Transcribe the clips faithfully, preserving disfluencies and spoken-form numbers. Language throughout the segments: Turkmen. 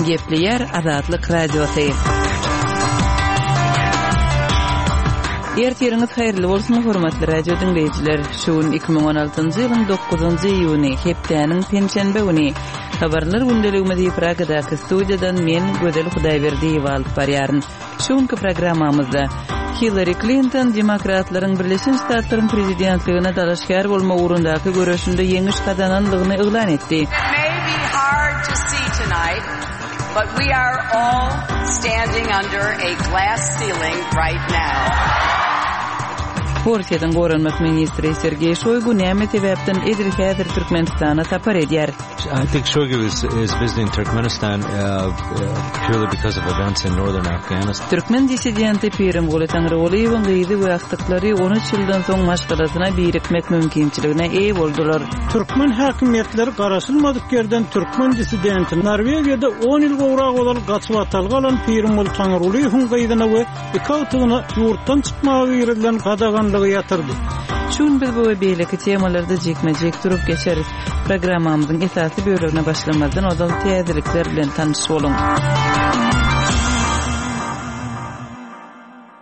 Gepleýär Azatlyk Radiosy. Ertiriňiz haýyrly bolsun, hormatly radio diňleýjiler. Şu gün iki müň on altynjy ýylyň dokuzynjy iýuny, hepdäniň penşenbe güni. Habarlar gündeligimizi Pragadaky studiýadan men Gözel Hudaýberdiýewa alyp barýaryn. Şu günki programmamyzda Hillari Klinton demokratlaryň Birleşen Ştatlaryň prezidentligine dalaşgär bolmak ugrundaky göreşinde ýeňiş gazananlygyny yglan etdi. It may be hard to see tonight, but we are all standing under a glass ceiling right now. Orsýetiň goranmak ministri Sergeý Şoýgu näme sebäpden edil häzir Türkmenistana sapar edýär? I think Shoigu is, is visiting Turkmenistan, uh, uh, purely because of events in northern Afghanistan. Türkmen dissidenti Pirimguly Taňrygulyýewiň gyzy we agtyklary on üç ýyldan soň maşgalasyna birikmek mümkinçiligine eýe boldular. Türkmen häkimiýetleri garaşylmadyk ýerden türkmen dissidenti Norwegiýada on ýyl gowrak ozal gaçyp atalga alan Pirimguly Taňrygulyýewiň gyzyna we iki agtygyna ýurtdan çykmaga girizilen gadaganlygy ýatyrdy. Şu gün biz bu we beýleki temalarda jikme-jik durup geçeris. Programmamyzyň esasy bölegine başlamazdan ozal täzelikler bilen tanyş boluň.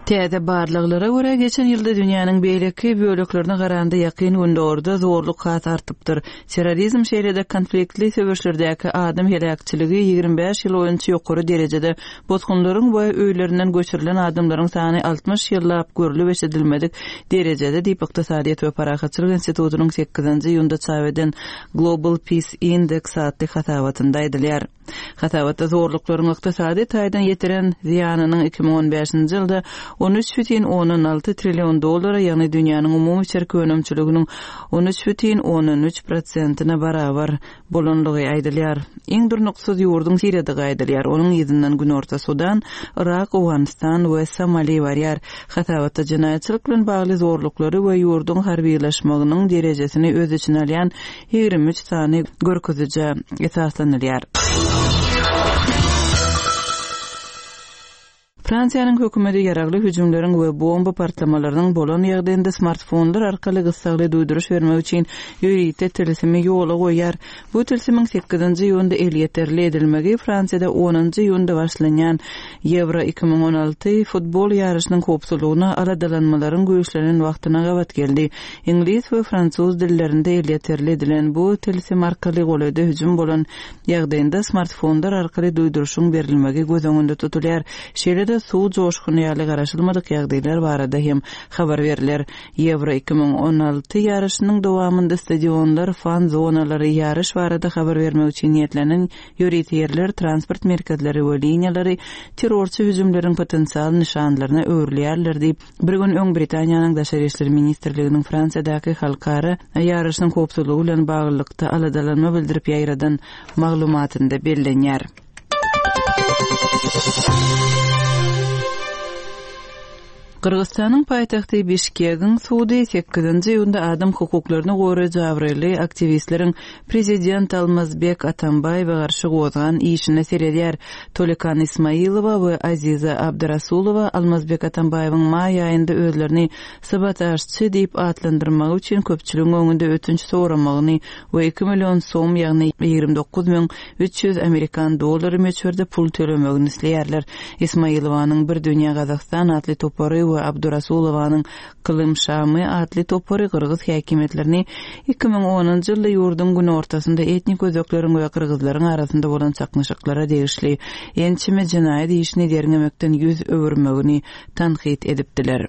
Täze barlaglara görä geçen ýylda dünýäniň beýleki böleklerine garanda ýakyn gündogarda zorluk has artypdyr. Terrorizm şeýle-de konfliktli söweşlerdäki adam heläkçiligi ýigrimi bäş ýyl boýunça ýokary derejede, bosgunlaryň we öýlerinden göçürilen adamlaryň sany altmyş ýyllap görlüp eşidilmedik derejede diýip Ykdysadyýet we Parahatçylyk institutynyň sekizinji iýunda çap eden Global Peace Index atly hasabatynda aýdylýar. Hasabatda zorluklaryň ykdysady taýdan ýetiren zyýanynyň iki müň on bäşinji ýylda on üç bütin ondan alty trillion dollara, ýagny dünýäniň umumy içerki önümçiliginiň on üç bütin ondan üç prosentine barabar bolanlygy aýdylýar. Iň durnuksyz ýurduň Siriýadygy aýdylýar. Onuň yzyndan Günorta Sudan, Irak, Owganystan we Somali barýar. Hasabatda jenaýatçylyk bilen bagly zorluklary we ýurduň harbylaşmagynyň derejesini öz içine alýan ýigrimi üç sany görkezije esaslanylýar. Fransiýanyň hökümeti ýaragly hüjümleriň we bomba partlamalarynyň bolan ýagdaýynda smartfonlar arkaly gyssagly duýduryş bermek üçin ýörite tilsimi ýola goýýar. Bu tilsimiň sekizinji iýunda elýeterli edilmegi Fransiýada onunjy iýunda başlanýan Ýewro iki müň on alty futbol ýaryşynyň howpsuzlygyna aladalanmalaryň güýçlenen wagtyna gabat geldi. Iňlis we fransuz dillerinde elýeterli edilen bu tilsim arkaly golaýda hüjüm bolan ýagdaýynda smartfonlar arkaly duýduryşyň berilmegi göz öňünde tutulýar. Şeýle-de suw joşguny ýaly garaşylmadyk ýagdaýlar barada hem habar beriler. Ýewro iki müň on alty ýaryşynyň dowamynda stadionlar, fan zonalary, ýaryş barada habar bermek üçin niýetlenen ýörite ýerler, transport merkezleri we liniýalary terrorçy hüjümleriň potensial nyşanlaryna öwrülýärler diýip, bir gün öň Britaniýanyň Daşary işler ministrliginiň Fransiýadaky halkara ýaryşynyň howpsuzlygy bilen baglylykda aladalanma bildirip ýaýradan maglumatynda bellenýär. Gyrgyzystanyň paýtagty Bişkegiň sudy sekizinji iýunda adam hukuklaryny goraýjy abraýly aktiwistleriň prezident Almazbek Atambaýewe garşy gozgan işine seredýär. Tolekan Ismailowa we Aziza Abdurasulowa Almazbek Atambaýewiň maý aýynda özlerini sabotažçy diýip atlandyrmagy üçin köpçüligiň öňünde ötünç soramagyny we iki million som, ýagny ýigrimi dokuz müň üç ýüz amerikan dollary möçberde pul tölemegini isleýärler. Ismailowanyň Bir Dünýä Gazagystan atly topary we Abdurasulowanyň Kylym Şamy atly topary Gyrgyz häkimiýetlerini iki müň onunjy ýylda ýurduň günortasynda etnik özekleriň we gyrgyzlaryň arasynda bolan çaknyşyklara degişli ençeme jenaýat işini derňemekden ýüz öwürmegini tankyt edipdiler.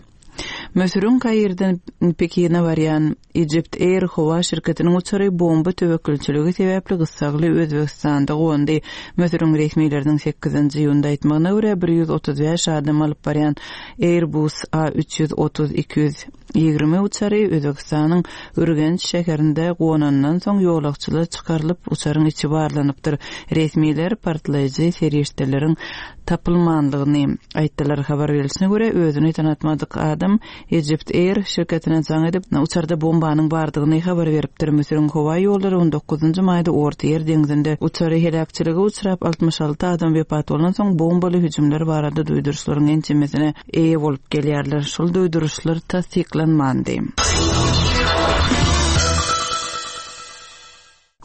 Müsüriň Kairden Pekine barýan Egypt Air howa şirketiniň uçary bomba töwekgelçiligi sebäpli gyssagly Özbegistanda gondy. Müsüriň resmileriniň sekizinji iýunda aýtmagyna görä bir ýüz otuz bäş adam alyp barýan Airbus A üç ýüz otuz iki ýüz ýigrimi uçary Özbegistanyň Ürgenç şäherinde gonandan soň ýolagçylar çykarylyp uçaryň içi barlanypdyr. Resmiler partlaýjy serişdeleriň tapylmanlygyny aýtdylar. Habar berilişine görä özüni tanatmadyk adam Egypt Air şirketine jaň edip uçarda bombanyň bardygyny habar beripdir. Müsüriň howa ýollary on dokuzynjy maýda Orta Ýer deňzinde uçary heläkçilige uçrap altmyş alty adam wepat bolan soň bombaly hüjümler barada duýduryşlaryň ençemesine eýe bolup gelýärler. Şol duýduryşlar tassyklanmandy.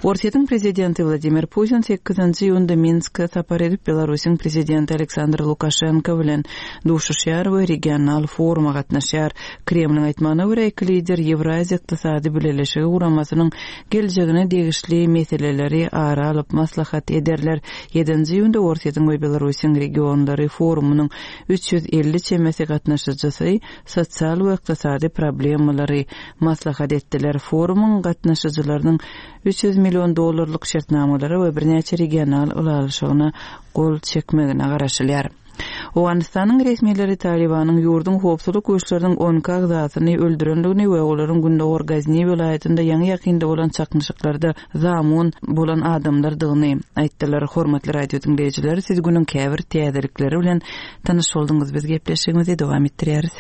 Orsýetiň prezidenti Wladimir Putin sekizinji iýunda Minske sapar edip, Belarusyň prezidenti Aleksandr Lukaşenko bilen duşuşýar we regional foruma gatnaşýar. Kremliň aýtmagyna görä, iki lider Ýewraziýa Ykdysady Bileleşigi guramasynyň geljegine degişli meseleleri ara alyp maslahat ederler. Ýedinji iýunda Orsýetiň we Belarusyň regionlary forumynyň üç ýüz elli çemesi gatnaşyjysy sosial we ykdysady problemalary maslahat etdiler. Forumyň gatnaşyjylarynyň üç ýüz million dollarlyk şertnamalara we birnäçe regional ylalaşygyna gol çekmegine garaşylýar. Owganystanyň resmileri Talybanyň ýurduň howpsuzlyk güýçleriniň on iki agzasyny öldürendigini we olaryň Gündogar Gazni welaýatynda ýaňy-ýakynda bolan çaknyşyklarda zamun bolan adamlardygyny aýtdylar. Hormatly radio diňleýjiler, siz günüň käbir täzelikleri bilen tanyş bolduňyz. Biz gepleşigimizi dowam etdirýäris.